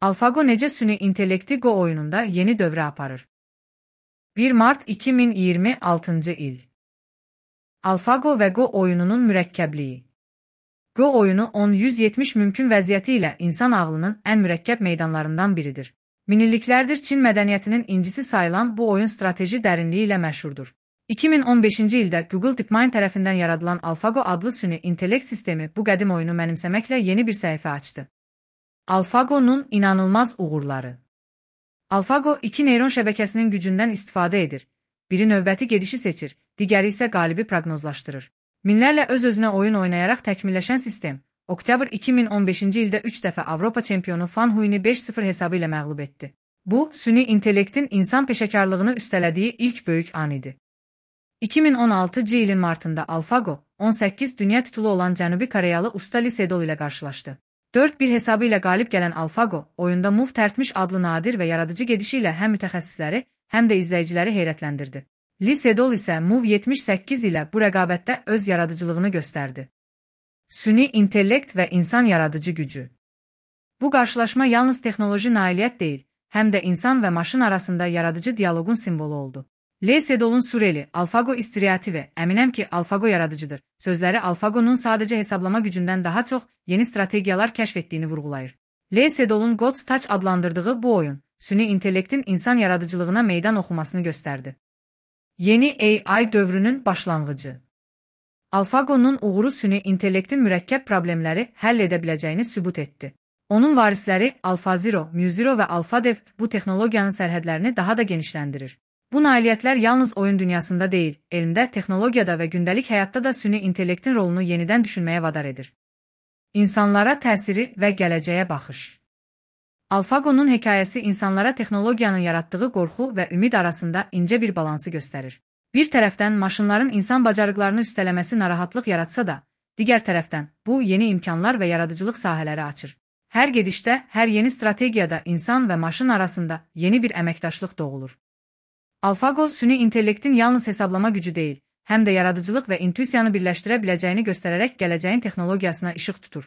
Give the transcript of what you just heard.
AlphaGo necə süni intellekti Go oyununda yeni dövrə aparır? 1 Mart 2026-cı il. AlphaGo və Go oyununun mürəkkəbliyi. Go oyunu 10-170 mümkün vəziyyəti ilə insan ağlının ən mürəkkəb meydanlarından biridir. Minilliklərdir Çin mədəniyyətinin incisi sayılan bu oyun strateji dərinliyi ilə məşhurdur. 2015-ci ildə Google DeepMind tərəfindən yaradılan AlphaGo adlı süni intellekt sistemi bu qədim oyunu mənimsəməklə yeni bir səhifə açdı. AlphaGo'nun inanılmaz uğurları. AlphaGo iki neyron şəbəkəsinin gücündən istifadə edir. Biri növbəti gedişi seçir, digəri isə qalibi proqnozlaşdırır. Minlərlə öz-özünə oyun oynayaraq təkmilləşən sistem, oktyabr 2015-ci ildə 3 dəfə Avropa çempionu Fan Huini 5-0 hesabı ilə məğlub etdi. Bu, süni intellektin insan peşəkarlığını üstələdiyi ilk böyük an idi. 2016-cı ilin martında AlphaGo, 18 dünya titulu olan Cənubi Koreyalı usta Lee Sedol ilə qarşılaşdı. 4-1 hesabı ilə qalib gələn AlphaGo, oyunda Move tərtmiş adlı nadir və yaradıcı gedişi ilə həm mütəxəssisləri, həm də izləyiciləri heyrətləndirdi. Lee Sedol isə Move 78 ilə bu rəqabətdə öz yaradıcılığını göstərdi. Süni intellekt və insan yaradıcı gücü. Bu qarşılaşma yalnız texnoloji nailiyyət deyil, həm də insan və maşın arasında yaradıcı dialoqun simvolu oldu. Lee Sedol'un Sureli, AlphaGo istiryativi, əminəm ki, AlphaGo yaradıcıdır. Sözləri AlphaGo'nun sadəcə hesablama gücündən daha çox yeni strategiyalar kəşf etdiyini vurğulayır. Lee Sedol'un God's Touch adlandırdığı bu oyun, süni intellektin insan yaradıcılığına meydan oxumasını göstərdi. Yeni AI dövrünün başlanğıcı. AlphaGo'nun uğuru süni intellektin mürəkkəb problemləri həll edə biləcəyini sübut etdi. Onun varisləri AlphaZero, MuZero və AlphaDev bu texnologiyanın sərhədlərini daha da genişləndirir. Bu nailiyyətlər yalnız oyun dünyasında deyil, elmdə, texnologiyada və gündəlik həyatda da süni intellektin rolunu yenidən düşünməyə vadar edir. İnsanlara təsiri və gələcəyə baxış. AlphaGo'nun hekayəsi insanlara texnologiyanın yaratdığı qorxu və ümid arasında incə bir balansı göstərir. Bir tərəfdən maşınların insan bacarıqlarını üstələməsi narahatlıq yaratsa da, digər tərəfdən bu yeni imkanlar və yaradıcılıq sahələri açır. Hər gedişdə, hər yeni strategiyada insan və maşın arasında yeni bir əməkdaşlıq doğulur. AlphaGo süni intellektin yalnız hesablama gücü deyil, həm də yaradıcılıq və intuisiyanı birləşdirə biləcəyini göstərərək gələcəyin texnologiyasına işıq tutur.